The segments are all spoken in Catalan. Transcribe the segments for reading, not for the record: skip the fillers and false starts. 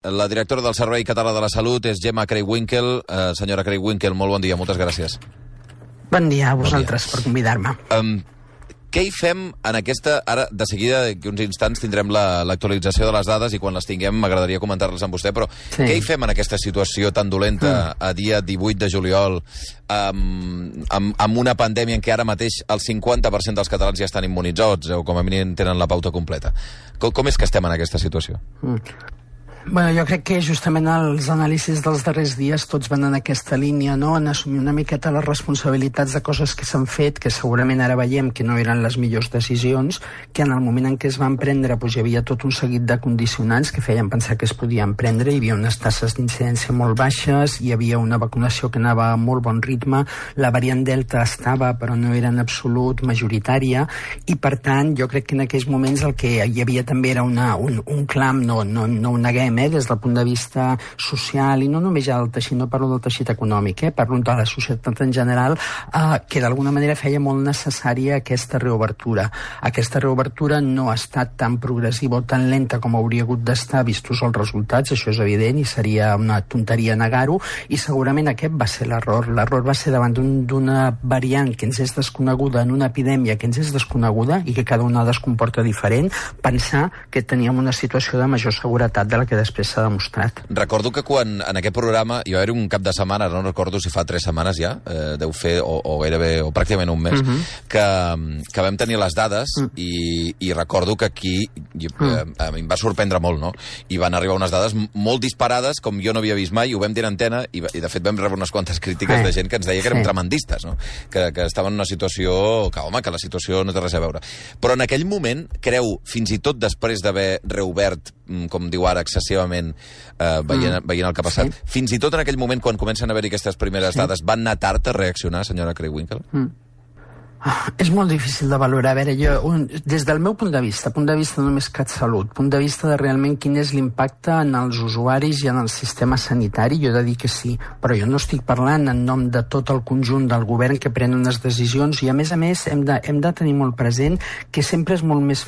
La directora del Servei Català de la Salut és Gemma Creywinkel. Senyora Creywinkel, molt bon dia, moltes gràcies. Bon dia a vosaltres per convidar-me. Què hi fem en aquesta... Ara, de seguida, que uns instants tindrem l'actualització de les dades i quan les tinguem m'agradaria comentar-les amb vostè, però què hi fem en aquesta situació tan dolenta a dia 18 de juliol amb una pandèmia en què ara mateix el 50% dels catalans ja estan immunitzats o com a mínim tenen la pauta completa? Com és que estem en aquesta situació? Bueno, jo crec que justament els anàlisis dels darrers dies tots van en aquesta línia, no? En assumir una miqueta les responsabilitats de coses que s'han fet, que segurament ara veiem que no eren les millors decisions, que en el moment en què es van prendre hi havia tot un seguit de condicionants que feien pensar que es podien prendre, hi havia unes tasses d'incidència molt baixes, hi havia una vacunació que anava a molt bon ritme, la variant Delta estava però no era en absolut majoritària, i per tant jo crec que en aquells moments el que hi havia també era un clam, no ho neguem, des del punt de vista social, i no només ja del teixit, no parlo del teixit econòmic, parlo de la societat en general, que d'alguna manera feia molt necessària aquesta reobertura. Aquesta reobertura no ha estat tan progressiva o tan lenta com hauria hagut d'estar vistos els resultats, això és evident, i seria una tonteria negar-ho, i segurament aquest va ser l'error. L'error va ser davant d'una variant que ens és desconeguda, en una epidèmia que ens és desconeguda i que cada onada es comporta diferent, pensar que teníem una situació de major seguretat de la que després s'ha demostrat. Recordo que quan en aquest programa hi va haver un cap de setmana, no recordo si fa 3 setmanes ja, deu fer o gairebé o pràcticament un mes, que vam tenir les dades i recordo que aquí a mi em va sorprendre molt, no? I van arribar unes dades molt disparades, com jo no havia vist mai, ho vam dir en antena i de fet vam rebre unes quantes crítiques de gent que ens deia que érem tremendistes, no? Que estaven en una situació que la situació no té res a veure. Però en aquell moment, creu, fins i tot després d'haver reobert, com diu ara, excessivament veient el que ha passat, fins i tot en aquell moment, quan comencen a haver-hi aquestes primeres dades, van anar tard a reaccionar, senyora Creywinkel? És molt difícil de valorar. A veure, des del meu punt de vista només CatSalut, punt de vista de realment quin és l'impacte en els usuaris i en el sistema sanitari, jo he de dir que sí, però jo no estic parlant en nom de tot el conjunt del govern que pren unes decisions, i a més hem de tenir molt present que sempre és molt més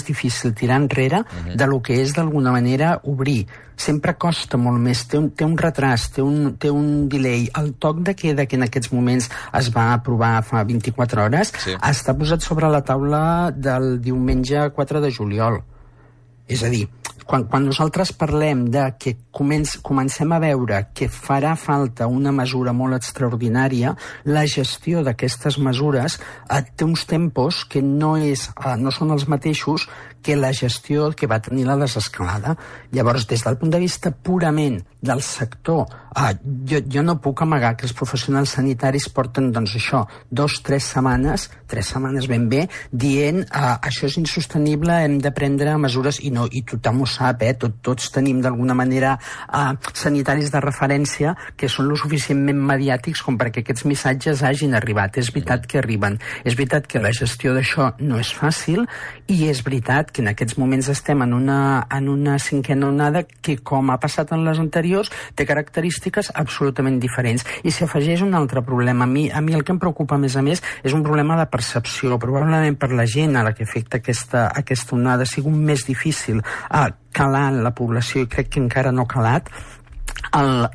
difícil tirar enrere de lo que és d'alguna manera obrir. Sempre costa molt més, té un retras, té un delay. El toc de queda que en aquests moments es va aprovar fa 24 hores està posat sobre la taula del diumenge 4 de juliol. És a dir, quan nosaltres parlem de que comencem a veure que farà falta una mesura molt extraordinària, la gestió d'aquestes mesures té uns tempos que no són els mateixos que la gestió que va tenir la desescalada. Llavors, des del punt de vista purament del sector, jo no puc amagar que els professionals sanitaris porten, doncs això, 2-3 setmanes, 3 setmanes ben bé, dient això és insostenible, hem de prendre mesures, i tothom ho sap, tots tenim d'alguna manera sanitaris de referència que són lo suficientment mediàtics com perquè aquests missatges hagin arribat. És veritat que arriben, és veritat que la gestió d'això no és fàcil, i és veritat que en aquests moments estem en una cinquena onada que, com ha passat en les anteriors, té característiques absolutament diferents. I s'hi afegeix un altre problema. A mi el que em preocupa més a més és un problema de percepció. Probablement per la gent a la que afecta aquesta onada ha sigut més difícil calar en la població, i crec que encara no ha calat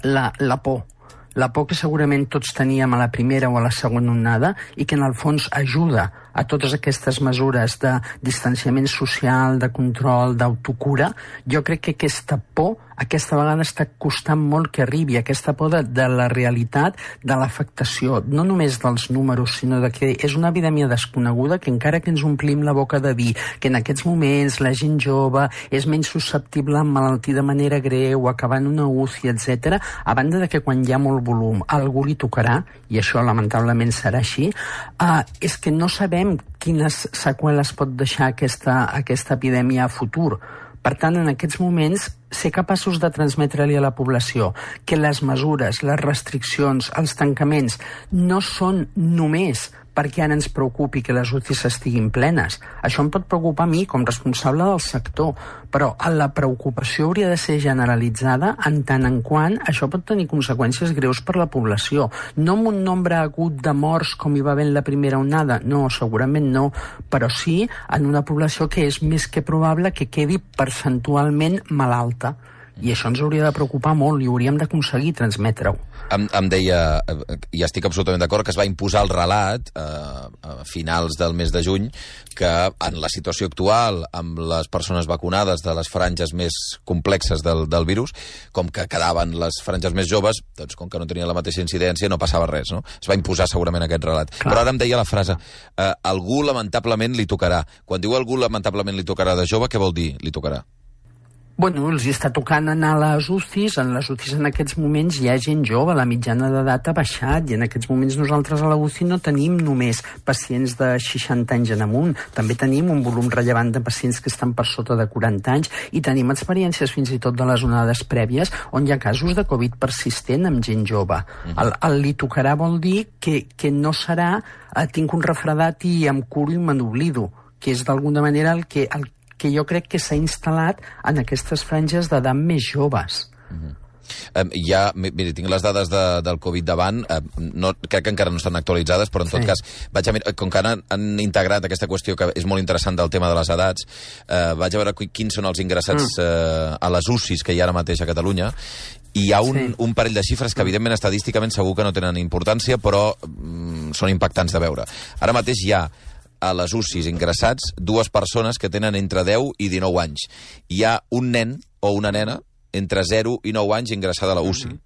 la por. La por que segurament tots teníem a la primera o a la segona onada, i que en el fons ajuda a totes aquestes mesures de distanciament social, de control, d'autocura. Jo crec que aquesta por aquesta vegada està costant molt que arribi, aquesta por de la realitat, de l'afectació, no només dels números, sinó de que és una epidèmia desconeguda, que encara que ens omplim la boca de dir que en aquests moments la gent jove és menys susceptible a emmalaltir de manera greu, acabar en una UCI, etc., a banda de que quan hi ha molt volum algú li tocarà, i això lamentablement serà així, és que no sabem quines seqüeles pot deixar aquesta epidèmia a futur. Per tant, en aquests moments, ser capaços de transmetre-li a la població que les mesures, les restriccions, els tancaments no són només perquè ara ens preocupi que les UCIs estiguin plenes. Això em pot preocupar a mi com responsable del sector, però la preocupació hauria de ser generalitzada en tant en quant això pot tenir conseqüències greus per la població. No amb un nombre agut de morts com hi va haver en la primera onada, no, segurament no, però sí en una població que és més que probable que quedi percentualment malalta. alta. I això ens hauria de preocupar molt i hauríem d'aconseguir transmetre-ho. Em deia, i estic absolutament d'acord, que es va imposar el relat a finals del mes de juny que en la situació actual, amb les persones vacunades de les franges més complexes del virus, com que quedaven les franges més joves, doncs com que no tenien la mateixa incidència no passava res, no? Es va imposar segurament aquest relat. Clar. Però ara em deia la frase, algú lamentablement li tocarà. Quan diu algú lamentablement li tocarà de jove, què vol dir li tocarà? Bueno, els està tocant anar a les UCIs. En les UCIs en aquests moments hi ha gent jove, la mitjana d'edat ha baixat, i en aquests moments nosaltres a la UCI no tenim només pacients de 60 anys en amunt, també tenim un volum rellevant de pacients que estan per sota de 40 anys, i tenim experiències fins i tot de les onades prèvies on hi ha casos de Covid persistent amb gent jove. El li tocarà vol dir que no serà tinc un refredat i em curo i me n'oblido, que és d'alguna manera el que jo crec que s'ha instal·lat en aquestes franges d'edat més joves. Mira, tinc les dades del Covid davant, crec que encara no estan actualitzades, però en tot cas, com que han integrat aquesta qüestió que és molt interessant del tema de les edats, vaig a veure quins són els ingressats a les UCIs que hi ha ara mateix a Catalunya, i hi ha un parell de xifres que evidentment estadísticament segur que no tenen importància, però són impactants de veure. Ara mateix hi ha a les UCIs ingressats 2 persones que tenen entre 10 i 19 anys. Hi ha un nen o una nena entre 0 i 9 anys ingressada a la UCI.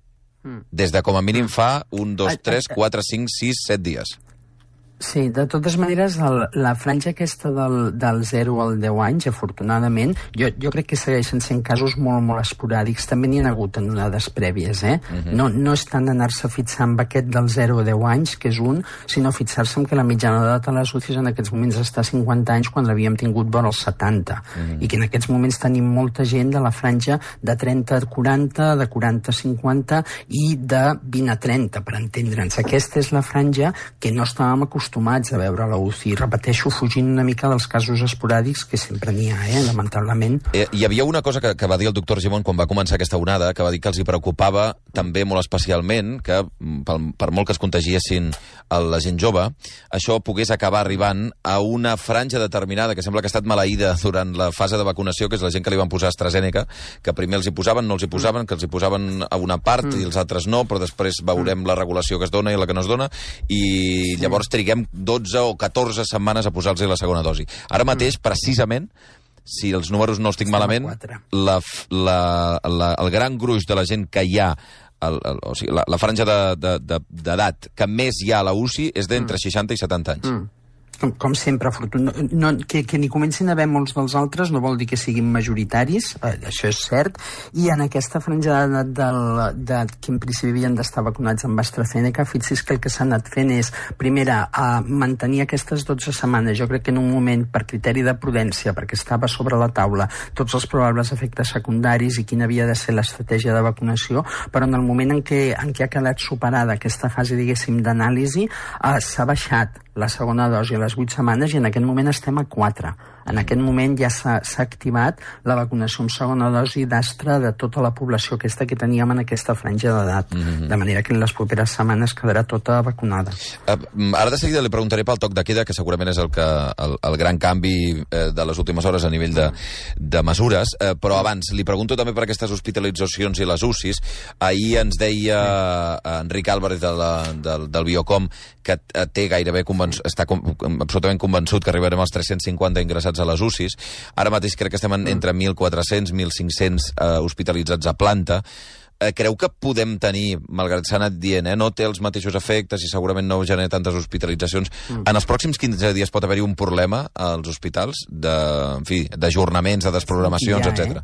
Des de com a mínim fa 1, 2, 3, 4, 5, 6, 7 dies. Sí, de totes maneres, la franja aquesta del 0 al 10 anys, afortunadament, jo crec que segueixen sent casos molt, molt esporàdics. També n'hi ha hagut en onades prèvies, No és tant anar-se fixant amb aquest del 0 a 10 anys, que és un, sinó fixar-se en que la mitjana d'edat a les UCIs en aquests moments està a 50 anys quan l'havíem tingut vora els 70. I que en aquests moments tenim molta gent de la franja de 30 a 40, de 40 a 50 i de 20 a 30, per entendre'ns. Aquesta és la franja que no estàvem acostumats a veure a la UCI. Repeteixo, fugint una mica dels casos esporàdics, que sempre n'hi ha, lamentablement. Hi havia una cosa que va dir el doctor Gimón quan va començar aquesta onada, que va dir que els hi preocupava també molt especialment que, per molt que es contagiessin la gent jove, això pogués acabar arribant a una franja determinada, que sembla que ha estat maleïda durant la fase de vacunació, que és la gent que li van posar AstraZeneca, que primer els hi posaven, no els hi posaven, que els hi posaven a una part i els altres no, però després veurem la regulació que es dona i la que no es dona, i llavors triguem 12 o 14 setmanes a posar-los la segona dosi. Ara mateix, precisament, si els números no els tinc malament, el gran gruix de la gent que hi ha, o sigui, la franja d'edat que més hi ha a la UCI és d'entre 60 i 70 anys. Com sempre, que n'hi comencin a haver molts dels altres no vol dir que siguin majoritaris, això és cert, i en aquesta franja d'edat que en principi havien d'estar vacunats amb AstraZeneca, fixi's que el que s'ha anat fent és, primera, mantenir aquestes 12 setmanes. Jo crec que en un moment, per criteri de prudència, perquè estava sobre la taula tots els probables efectes secundaris i quina havia de ser l'estratègia de vacunació, però en el moment en què ha quedat superada aquesta fase, diguéssim, d'anàlisi, s'ha baixat la segona dosi a les 8 setmanes i en aquest moment estem a 4. En aquest moment ja s'ha activat la vacunació amb segona dosi d'Astra de tota la població aquesta que teníem en aquesta franja d'edat. De manera que en les properes setmanes quedarà tota vacunada. Ara de seguida li preguntaré pel toc de queda, que segurament és el gran canvi de les últimes hores a nivell de mesures, però abans li pregunto també per aquestes hospitalitzacions i les UCIs. Ahir ens deia Enric Álvarez del Biocom que té gairebé està absolutament convençut que arribarem als 350 ingressats a les UCIs. Ara mateix crec que estem entre 1.400 i 1.500 hospitalitzats a planta. Creu que podem tenir, malgrat s'ha anat dient, no té els mateixos efectes i segurament no genera tantes hospitalitzacions. En els pròxims 15 dies pot haver-hi un problema als hospitals d'ajornaments, de desprogramacions, etc.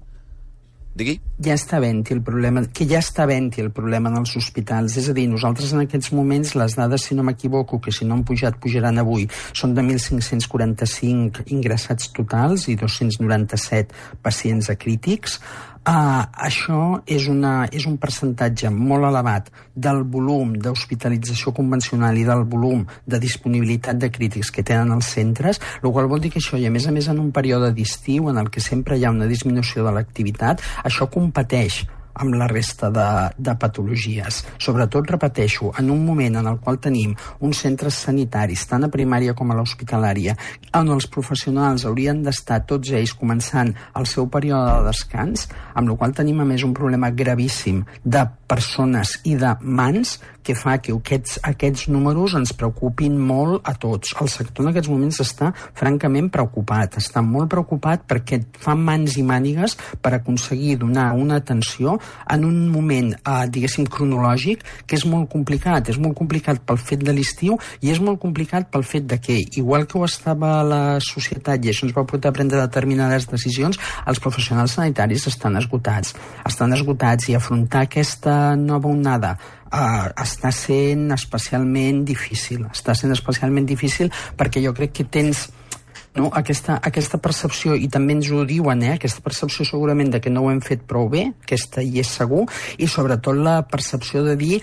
Digui? Ja està havent-hi el problema, el problema en els hospitals. És a dir, nosaltres en aquests moments, les dades, si no m'equivoco, que si no han pujat, pujaran avui, són de 1.545 ingressats totals i 297 pacients acrítics. Això és un percentatge molt elevat del volum d'hospitalització convencional i del volum de disponibilitat de crítics que tenen els centres, el qual vol dir que això, i a més en un període d'estiu en el que sempre hi ha una disminució de l'activitat, això competeix amb la resta de patologies. Sobretot, repeteixo, en un moment en el qual tenim uns centres sanitaris, tant a primària com a l'hospitalària, on els professionals haurien d'estar tots ells començant el seu període de descans, amb la qual tenim a més un problema gravíssim de persones i de mans que fa que aquests números ens preocupin molt a tots. El sector en aquests moments està francament preocupat, està molt preocupat perquè fa mans i mànigues per aconseguir donar una atenció en un moment, diguéssim, cronològic, que és molt complicat. És molt complicat pel fet de l'estiu i és molt complicat pel fet de que, igual que ho estava la societat i això ens va portar a prendre determinades decisions, els professionals sanitaris estan esgotats i afrontar aquesta nova onada està sent especialment difícil. Està sent especialment difícil perquè jo crec que tens aquesta percepció, i també ens ho diuen, aquesta percepció segurament de que no ho hem fet prou bé, aquesta hi és segur, i sobretot la percepció de dir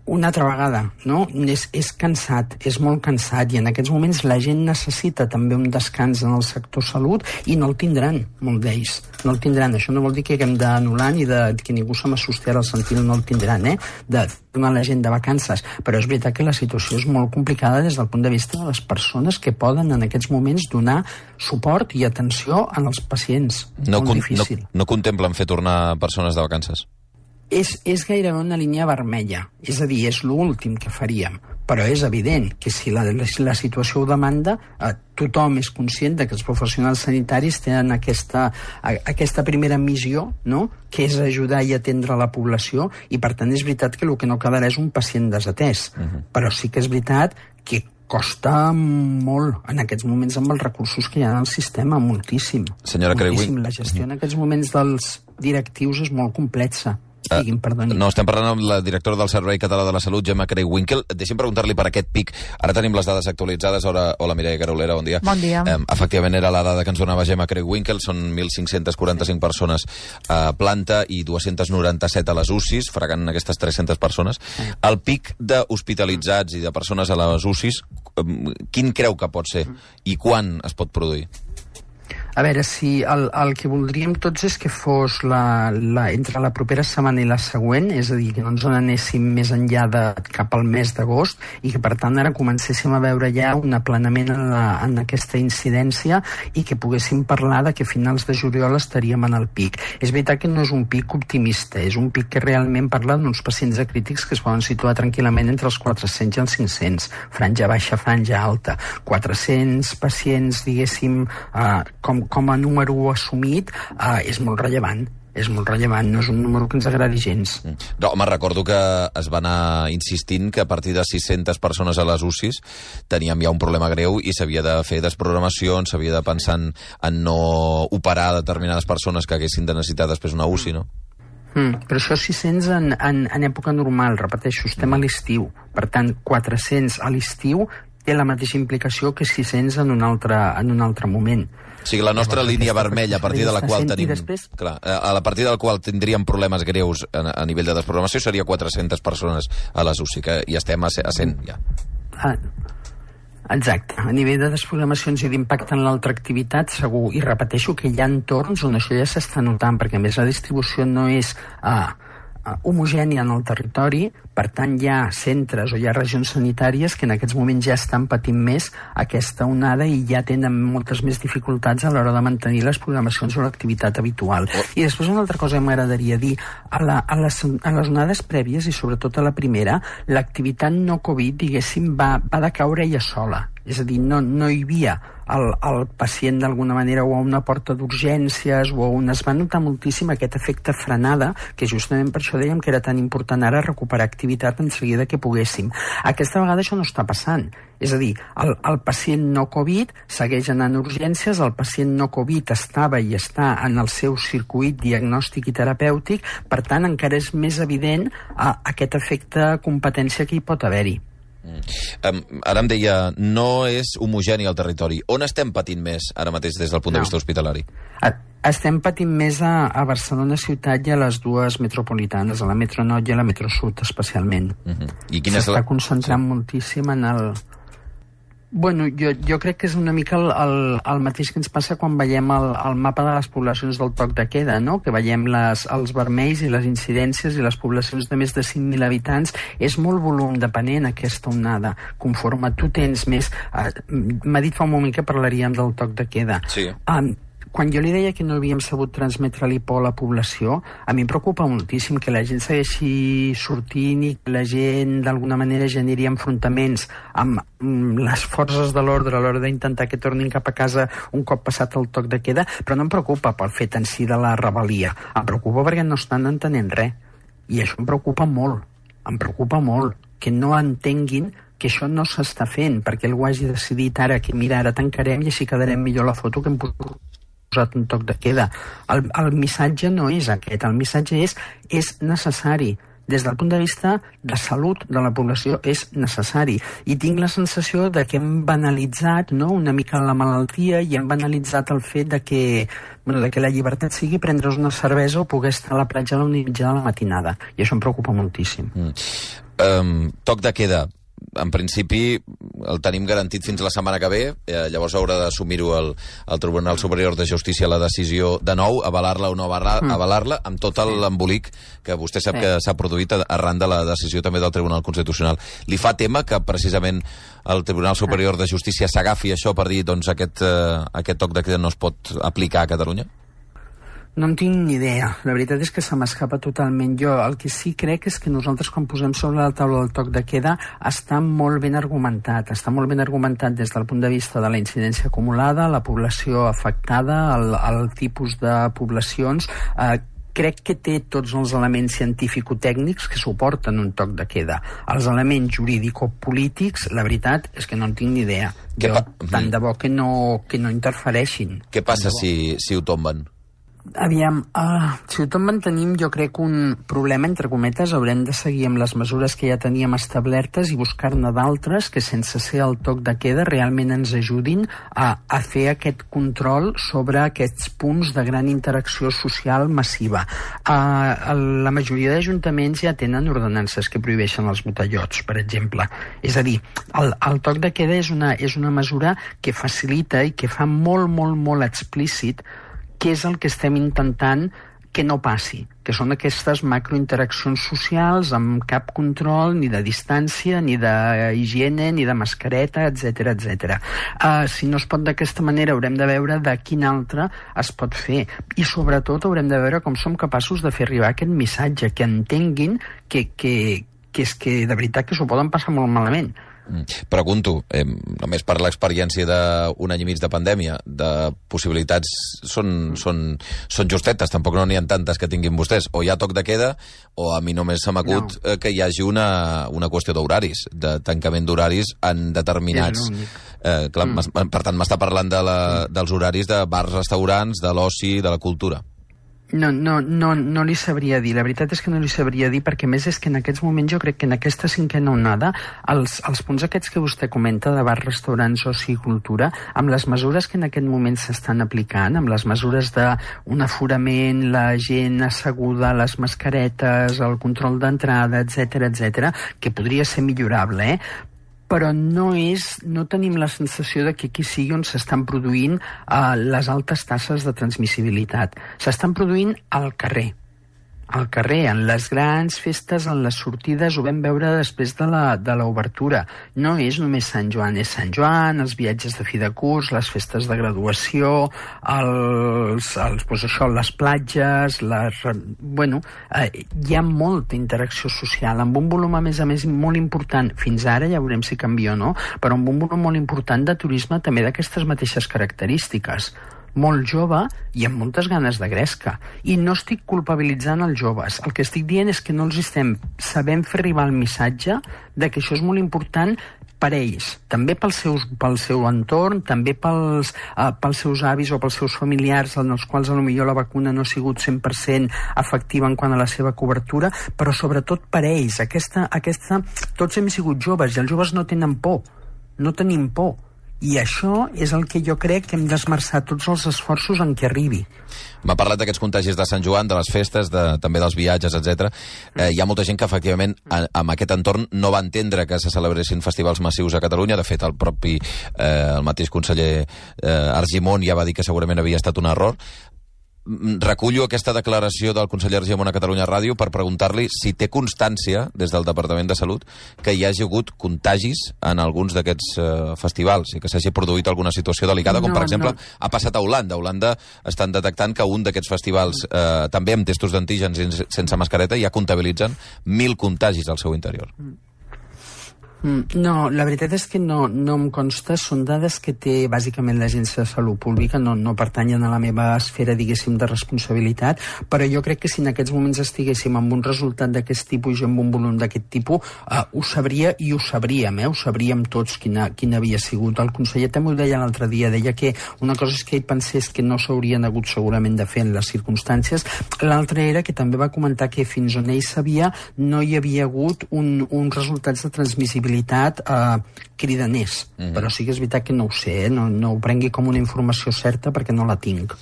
una altra vegada, no? És cansat, és molt cansat, i en aquests moments la gent necessita també un descans en el sector salut i no el tindran, molt d'ells. No el tindran. Això no vol dir que haguem d'anul·lar ni que ningú se m'assusti al sentir no el tindran, de donar la gent de vacances. Però és veritat que la situació és molt complicada des del punt de vista de les persones que poden en aquests moments donar suport i atenció als pacients. Molt difícil. No contemplen fer tornar persones de vacances? És gairebé una línia vermella, és a dir, és l'últim que faríem, però és evident que si la situació ho demanda, tothom és conscient de que els professionals sanitaris tenen aquesta primera missió, no?, que és ajudar i atendre la població, i per tant és veritat que el que no quedarà és un pacient desatès, però sí que és veritat que costa molt en aquests moments amb els recursos que hi ha en el sistema, moltíssim. Senyora Creuin. La gestió en aquests moments dels directius és molt complexa. No, estem parlant amb la directora del Servei Català de la Salut, Gemma Creu-Winkel. Deixi'm preguntar-li per aquest pic. Ara tenim les dades actualitzades. Hola, Mireia Carolera, bon dia. Bon dia. Efectivament, era la dada que ens donava Gemma Creu-Winkel. Són 1.545 persones a planta i 297 a les UCIs, fregant aquestes 300 persones. El pic d'hospitalitzats i de persones a les UCIs, quin creu que pot ser i quan es pot produir? A veure, si el que voldríem tots és que fos entre la propera setmana i la següent, és a dir, que no ens n'anéssim més enllà cap al mes d'agost i que per tant ara comencéssim a veure ja un aplanament en aquesta incidència i que poguéssim parlar de que a finals de juliol estaríem en el pic. És veritat que no és un pic optimista, és un pic que realment parla d'uns pacients acrítics que es poden situar tranquil·lament entre els 400 i els 500, franja baixa, franja alta. 400 pacients, diguéssim, com a número assumit, és molt rellevant. És molt rellevant, no és un número que ens agradi gens. No, home, recordo que es va anar insistint que a partir de 600 persones a les UCIs teníem ja un problema greu i s'havia de fer desprogramacions, s'havia de pensar en no operar determinades persones que haguessin de necessitar després una UCI, no? Però això 600 en època normal, repeteixo, estem a l'estiu. Per tant, 400 a l'estiu té la mateixa implicació que 600 en un altre moment. O sigui, la nostra línia vermella, a partir de la qual tenim... Clar, a partir del qual tindríem problemes greus a nivell de desprogramació seria 400 persones a les UCI, que ja estem a 100, ja. Exacte. A nivell de desprogramacions i d'impacte en l'altra activitat, segur. I repeteixo que hi ha entorns on això ja s'està notant, perquè a més la distribució no és homogènia en el territori, per tant hi ha centres o hi ha regions sanitàries que en aquests moments ja estan patint més aquesta onada i ja tenen moltes més dificultats a l'hora de mantenir les programacions o l'activitat habitual. I després una altra cosa que m'agradaria dir, a les onades prèvies i sobretot a la primera, l'activitat no Covid, diguéssim, va decaure ella sola. És a dir, no hi havia el pacient d'alguna manera o a una porta d'urgències o on es va notar moltíssim aquest efecte frenada, que justament per això dèiem que era tan important ara recuperar activitat en seguida que poguéssim. Aquesta vegada això no està passant. És a dir, el pacient no Covid segueix anant a urgències, el pacient no Covid estava i està en el seu circuit diagnòstic i terapèutic, per tant encara és més evident aquest efecte competència que hi pot haver-hi. Ara em deia, no és homogeni el territori. On estem patint més ara mateix des del punt de vista hospitalari? Estem patint més a Barcelona ciutat i a les dues metropolitanes, a la metro nord i a la metro sud especialment. I quina s'està concentrant moltíssim en el... Bueno, jo crec que és una mica el mateix que ens passa quan veiem el mapa de les poblacions del toc de queda, no? Que veiem els vermells i les incidències i les poblacions de més de 5.000 habitants. És molt volum depenent aquesta onada. Conforme tu tens més... M'ha dit fa un moment que parlaríem del toc de queda. Sí. Quan jo li deia que no havíem sabut transmetre-li por a la població, a mi em preocupa moltíssim que la gent segueixi sortint i que la gent d'alguna manera generi enfrontaments amb les forces de l'ordre a l'hora d'intentar que tornin cap a casa un cop passat el toc de queda, però no em preocupa pel fet en si de la rebel·lia. Em preocupa perquè no estan entenent res. I això em preocupa molt. Em preocupa molt que no entenguin que això no s'està fent, perquè algú hagi decidit ara que mira, ara tancarem i així quedarem millor la foto que hem posat un toc de queda. El missatge no és aquest, el missatge és necessari. Des del punt de vista de salut de la població és necessari. I tinc la sensació de que hem banalitzat, no?, una mica la malaltia i hem banalitzat el fet de que la llibertat sigui prendre's una cervesa o poder estar a la platja a la mitja de la matinada. I això em preocupa moltíssim. Toc de queda. En principi el tenim garantit fins la setmana que ve, llavors haurà d'assumir-ho el Tribunal Superior de Justícia la decisió de nou, avalar-la o no avalar-la, amb tot l'embolic que vostè sap que s'ha produït arran de la decisió també del Tribunal Constitucional. Li fa tema que precisament el Tribunal Superior de Justícia s'agafi això per dir doncs aquest toc de queda no es pot aplicar a Catalunya? No en tinc ni idea. La veritat és que se m'escapa totalment. Jo el que sí crec és que nosaltres quan posem sobre la taula del toc de queda està molt ben argumentat. Està molt ben argumentat des del punt de vista de la incidència acumulada, la població afectada, el tipus de poblacions. Crec que té tots els elements científico-tècnics que suporten un toc de queda. Els elements jurídico-polítics, la veritat és que no en tinc ni idea. Tant de bo que no interfereixin. Què passa si ho tomben? Aviam, si ho tot mantenim, jo crec que un problema, entre cometes, haurem de seguir amb les mesures que ja teníem establertes i buscar-ne d'altres que, sense ser el toc de queda, realment ens ajudin a fer aquest control sobre aquests punts de gran interacció social massiva. La majoria d'ajuntaments ja tenen ordenances que prohibeixen els botellots, per exemple. És a dir, el toc de queda és una mesura que facilita i que fa molt, molt, molt explícit què és el que estem intentant que no passi, que són aquestes macrointeraccions socials amb cap control ni de distància, ni d'higiene, ni de mascareta, etc etc. Si no es pot d'aquesta manera, haurem de veure de quin altre es pot fer. I sobretot haurem de veure com som capaços de fer arribar aquest missatge, que entenguin que és que de veritat que s'ho poden passar molt malament. Pregunto, només per l'experiència d'un any i mig de pandèmia, de possibilitats són justetes, tampoc no n'hi ha tantes que tinguin vostès. O hi ha toc de queda, o a mi només se m'acut que hi hagi una qüestió d'horaris, de tancament d'horaris en determinats... Per tant, m'està parlant dels horaris de bars, restaurants, de l'oci, de la cultura. No li sabria dir. La veritat és que no li sabria dir, perquè més és que en aquests moments jo crec que en aquesta cinquena onada els punts aquests que vostè comenta de bars, restaurants, oci i cultura, amb les mesures que en aquest moment s'estan aplicant, amb les mesures d'un aforament, la gent asseguda, les mascaretes, el control d'entrada, etc, que podria ser millorable, però no tenim la sensació de que aquí sigui on s'estan produint les altes tasses de transmissibilitat. S'estan produint al carrer, en les grans festes, en les sortides. Ho vam veure després de l'obertura. No és només Sant Joan, és Sant Joan, els viatges de fi de curs, les festes de graduació, les platges, hi ha molta interacció social, amb un volum a més molt important, fins ara ja veurem si canvia o no, però amb un volum molt important de turisme també d'aquestes mateixes característiques. Molt jove i amb moltes ganes de gresca. I no estic culpabilitzant els joves. El que estic dient és que no els estem sabent fer arribar el missatge de que això és molt important per ells, també pel seu entorn, també pels seus avis o pels seus familiars, en els quals potser la vacuna no ha sigut 100% efectiva en quant a la seva cobertura, però sobretot per ells. Tots hem sigut joves i els joves no tenen por, no tenim por. I això és el que jo crec que hem d'esmerçar tots els esforços en què arribi. M'ha parlat d'aquests contagis de Sant Joan, de les festes, també dels viatges, etc. Hi ha molta gent que, efectivament, en aquest entorn no va entendre que se celebressin festivals massius a Catalunya. De fet, el mateix conseller Argimon ja va dir que segurament havia estat un error. Recullo aquesta declaració del conseller Argimon a Catalunya Ràdio per preguntar-li si té constància, des del Departament de Salut, que hi hagi hagut contagis en alguns d'aquests festivals i que s'hagi produït alguna situació delicada, com per exemple ha passat a Holanda. A Holanda estan detectant que un d'aquests festivals, també amb testos d'antígens sense mascareta, ja comptabilitzen 1.000 contagis al seu interior. No, la veritat és que no em consta. Són dades que té bàsicament l'Agència de Salut Pública, no pertanyen a la meva esfera, diguéssim, de responsabilitat, però jo crec que si en aquests moments estiguéssim amb un resultat d'aquest tipus i amb un volum d'aquest tipus, ho sabria i ho sabríem, ho sabríem tots quin havia sigut. El conseller també ho deia l'altre dia, deia que una cosa és que ell pensés que no s'haurien hagut segurament de fer en les circumstàncies, l'altra era que també va comentar que fins on ell sabia no hi havia hagut uns resultats de transmissibilitat cridaners, però sí que és veritat que no ho sé, no ho prengui com una informació certa perquè no la tinc.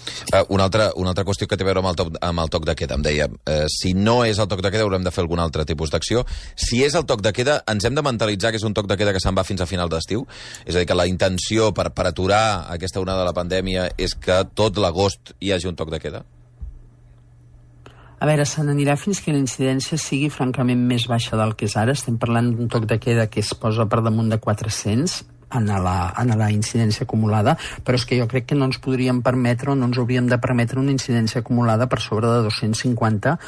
Una altra qüestió que té a veure amb el toc de queda, em deia, si no és el toc de queda haurem de fer algun altre tipus d'acció. Si és el toc de queda, ens hem de mentalitzar que és un toc de queda que se'n va fins a final d'estiu? És a dir, que la intenció per aturar aquesta onada de la pandèmia és que tot l'agost hi hagi un toc de queda? A veure, se n'anirà fins que la incidència sigui francament més baixa del que és ara. Estem parlant d'un toc de queda que es posa per damunt de 400 en la incidència acumulada, però és que jo crec que no ens podríem permetre o no ens hauríem de permetre una incidència acumulada per sobre de 250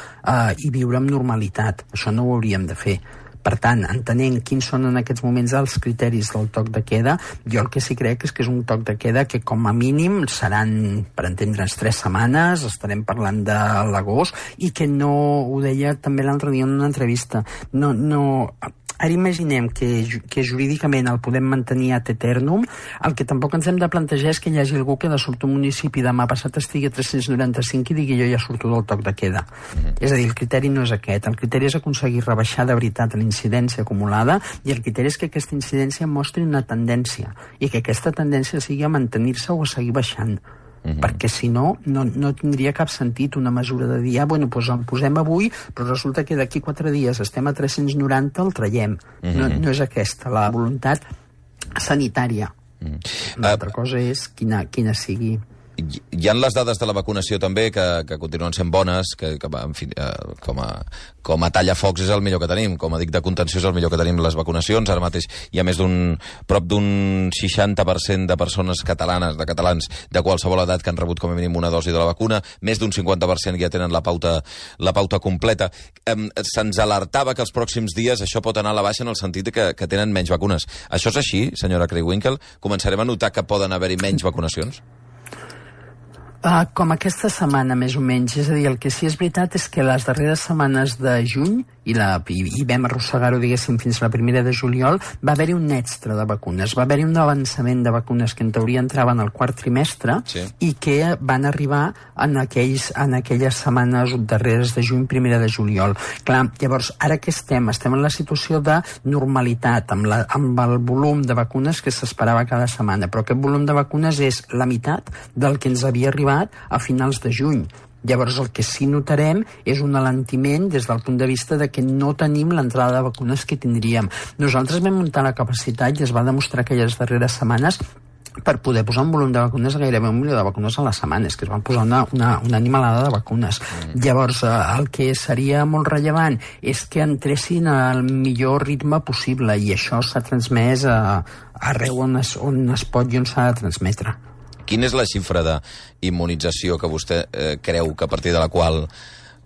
i viure amb normalitat. Això no ho hauríem de fer. Per tant, entenent quins són en aquests moments els criteris del toc de queda, jo el que sí crec és que és un toc de queda que com a mínim seran, per entendre'ns, 3 setmanes, estarem parlant de l'agost, i que no, ho deia també l'altre dia en una entrevista, ara imaginem que jurídicament el podem mantenir ad eternum. El que tampoc ens hem de plantejar és que hi hagi algú que de sobte un municipi demà passat estigui a 395 i digui jo ja surto del toc de queda. És a dir, el criteri no és aquest. El criteri és aconseguir rebaixar de veritat la incidència acumulada, i el criteri és que aquesta incidència mostri una tendència i que aquesta tendència sigui a mantenir-se o a seguir baixant. Perquè si no tindria cap sentit una mesura de dir, doncs el posem avui, però resulta que d'aquí 4 dies estem a 390, el traiem. No és aquesta la voluntat sanitària. L'altra cosa és quina sigui. Hi ha les dades de la vacunació també que continuen sent bones, que en fi, com a tallafocs és el millor que tenim, com a dic de contenció és el millor que tenim les vacunacions. Ara mateix hi ha prop d'un 60% de persones catalanes, de catalans de qualsevol edat que han rebut com a mínim una dosi de la vacuna, més d'un 50% ja tenen la pauta completa. Se'ns alertava que els pròxims dies això pot anar a la baixa en el sentit que tenen menys vacunes. Això és així, senyora Creu-Winkel? Començarem a notar que poden haver-hi menys vacunacions? Com aquesta setmana, més o menys. És a dir, el que sí és veritat és que les darreres setmanes de juny, i vam arrossegar-ho, diguéssim, fins a la primera de juliol, va haver-hi un extra de vacunes. Va haver-hi un avançament de vacunes que en teoria entraven al quart trimestre, sí, i que van arribar en aquelles setmanes darreres de juny, primera de juliol. Clar, llavors, ara que estem en la situació de normalitat, amb el volum de vacunes que s'esperava cada setmana, però aquest volum de vacunes és la meitat del que ens havia arribat a finals de juny. Llavors el que sí notarem és un alentiment des del punt de vista de que no tenim l'entrada de vacunes que tindríem. Nosaltres vam muntar la capacitat i es va demostrar aquelles darreres setmanes per poder posar un volum de vacunes, gairebé 1 milió de vacunes a la setmana, és que es van posar una animalada de vacunes. Llavors, el que seria molt rellevant és que entressin al millor ritme possible, i això s'ha transmès arreu on es pot i on s'ha de transmetre. Quina és la xifra d'immunització que vostè creu que a partir de la qual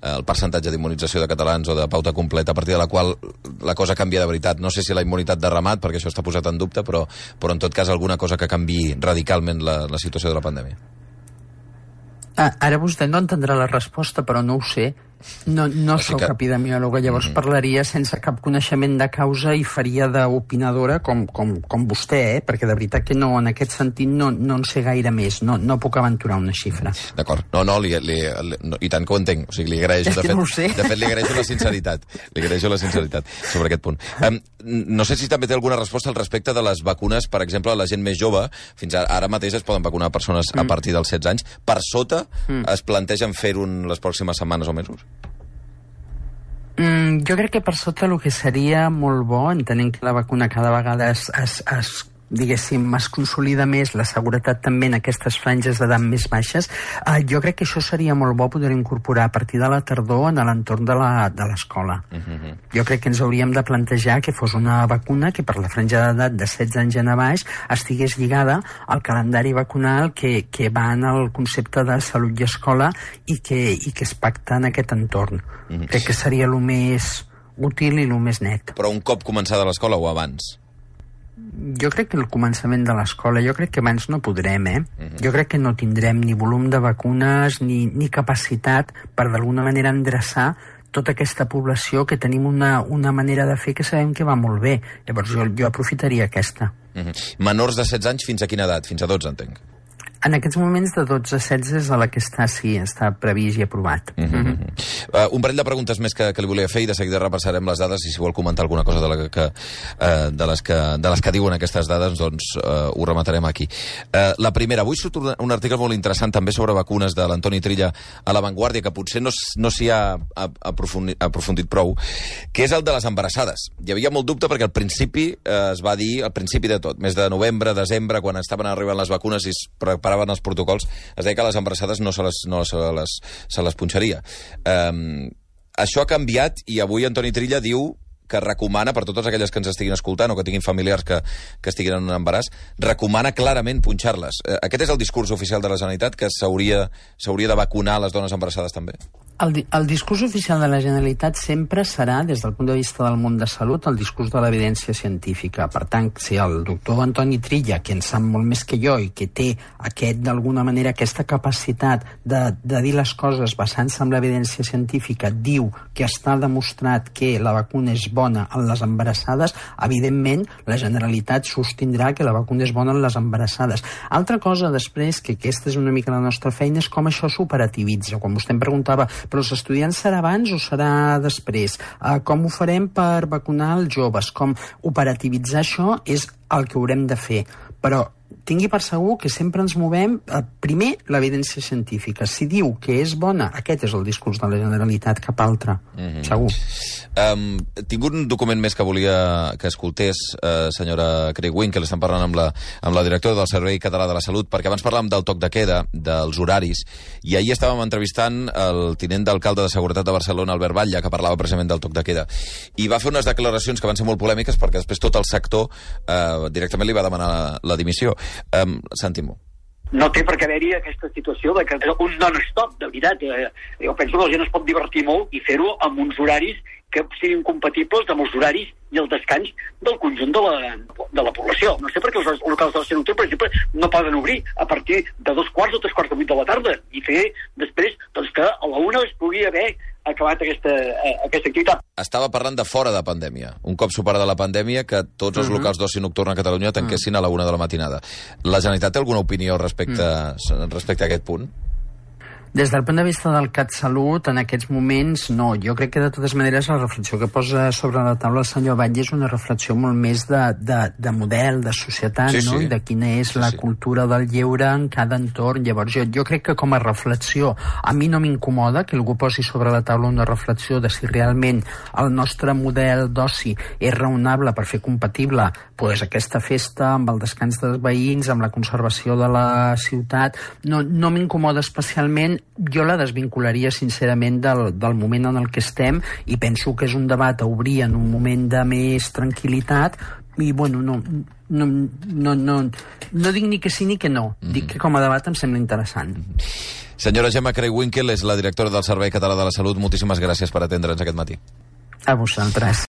el percentatge d'immunització de catalans o de pauta completa, a partir de la qual la cosa canvia de veritat? No sé si la immunitat de ramat, perquè això està posat en dubte, però en tot cas alguna cosa que canviï radicalment la situació de la pandèmia. Ara vostè no entendrà la resposta, però no ho sé. No sóc epidemiòloga, llavors parlaria sense cap coneixement de causa i faria d'opinadora com vostè, perquè de veritat que no, en aquest sentit no en sé gaire més, no puc aventurar una xifra. D'acord. No, i tant que ho entenc. O sigui, li agraeixo, de fet, li agraeixo la sinceritat. Li agraeixo la sinceritat sobre aquest punt. No sé si també té alguna resposta al respecte de les vacunes, per exemple, a la gent més jove. Fins ara mateix es poden vacunar persones a partir dels 16 anys. Per sota es plantegen fer-ho les pròximes setmanes o mesos? Jo crec que per sota el que seria molt bo, entenent que la vacuna cada vegada diguéssim, es consolida més la seguretat també en aquestes franges d'edat més baixes, jo crec que això seria molt bo poder incorporar a partir de la tardor en l'entorn de l'escola. Jo crec que ens hauríem de plantejar que fos una vacuna que per la franja d'edat de 16 anys en a baix estigués lligada al calendari vacunal que va en el concepte de salut i escola i que es pacta en aquest entorn. Crec que seria el més útil i el més net. Però un cop començada l'escola o abans? Jo crec que el començament de l'escola, jo crec que abans no podrem, Jo crec que no tindrem ni volum de vacunes ni capacitat per d'alguna manera endreçar tota aquesta població que tenim una manera de fer que sabem que va molt bé. Llavors jo aprofitaria aquesta. Menors de 16 anys fins a quina edat? Fins a 12, entenc. En aquests moments de 12 a 16 és a la que està previst i aprovat. Un parell de preguntes més que li volia fer i de seguida repassarem les dades i si vol comentar alguna cosa de les que diuen aquestes dades, doncs ho rematarem aquí. La primera, avui surt un article molt interessant també sobre vacunes de l'Antoni Trilla a La Vanguardia, que potser no s'hi ha aprofundit prou, que és el de les embarassades. Hi havia molt dubte perquè al principi es va dir, al principi de tot, mes de novembre, desembre, quan estaven arribant les vacunes i es preparaven els protocols, es deia que a les embarassades no se les punxaria. Això ha canviat i avui Antoni Trilla diu que recomana, per totes aquelles que ens estiguin escoltant o que tinguin familiars que estiguin en un embaràs, recomana clarament punxar-les. Aquest és el discurs oficial de la Generalitat, que s'hauria de vacunar les dones embarassades també? El discurs oficial de la Generalitat sempre serà, des del punt de vista del món de salut, el discurs de l'evidència científica. Per tant, si el doctor Antoni Trilla, que en sap molt més que jo i que té d'alguna manera aquesta capacitat de dir les coses basant-se en l'evidència científica, diu que està demostrat que la vacuna és bona en les embarassades, evidentment la Generalitat sostindrà que la vacuna és bona en les embarassades. Altra cosa després, que aquesta és una mica la nostra feina, és com això s'operativitza. Quan vostè em preguntava però els estudiants serà abans o serà després? Com ho farem per vacunar els joves? Com operativitzar això és el que haurem de fer. Però tingui per segur que sempre ens movem primer l'evidència científica. Si diu que és bona, aquest és el discurs de la Generalitat, cap altre. Segur. Tinc un document més que volia que escoltés, senyora Creuin, que l'estem parlant amb la directora del Servei Català de la Salut, perquè abans parlàvem del toc de queda, dels horaris, i ahir estàvem entrevistant el tinent d'alcalde de Seguretat de Barcelona, Albert Batlle, que parlava precisament del toc de queda. I va fer unes declaracions que van ser molt polèmiques perquè després tot el sector directament li va demanar la dimissió. Sentim-ho. No té per què haver-hi aquesta situació de que un non-stop, de veritat. Jo penso que la gent es pot divertir molt i fer-ho amb uns horaris que siguin compatibles amb els horaris i el descans del conjunt de la població. No sé per què els locals de la Salut, per exemple, no poden obrir a partir de 2:15 o 3:15 de la tarda i fer després doncs, que a la 1 es pugui haver acabat aquesta activitat. Estava parlant de fora de pandèmia. Un cop superada la pandèmia, que tots els locals d'oci nocturn a Catalunya tanquessin a la 1 de la matinada. La Generalitat té alguna opinió respecte a aquest punt? Des del punt de vista del CatSalut, en aquests moments, no. Jo crec que, de totes maneres, la reflexió que posa sobre la taula el senyor Batlle és una reflexió molt més de model, de societat, no? I de quina és la cultura del lleure en cada entorn. Llavors, jo crec que com a reflexió, a mi no m'incomoda que algú posi sobre la taula una reflexió de si realment el nostre model d'oci és raonable per fer compatible aquesta festa amb el descans dels veïns, amb la conservació de la ciutat. No m'incomoda especialment. Jo la desvincularia sincerament del moment en el que estem i penso que és un debat a obrir en un moment de més tranquil·litat i bueno, no dic ni que sí ni que no, dic que com a debat em sembla interessant. Senyora Gemma Creuin és la directora del Servei Català de la Salut. Moltíssimes gràcies per atendre'ns aquest matí. A vosaltres.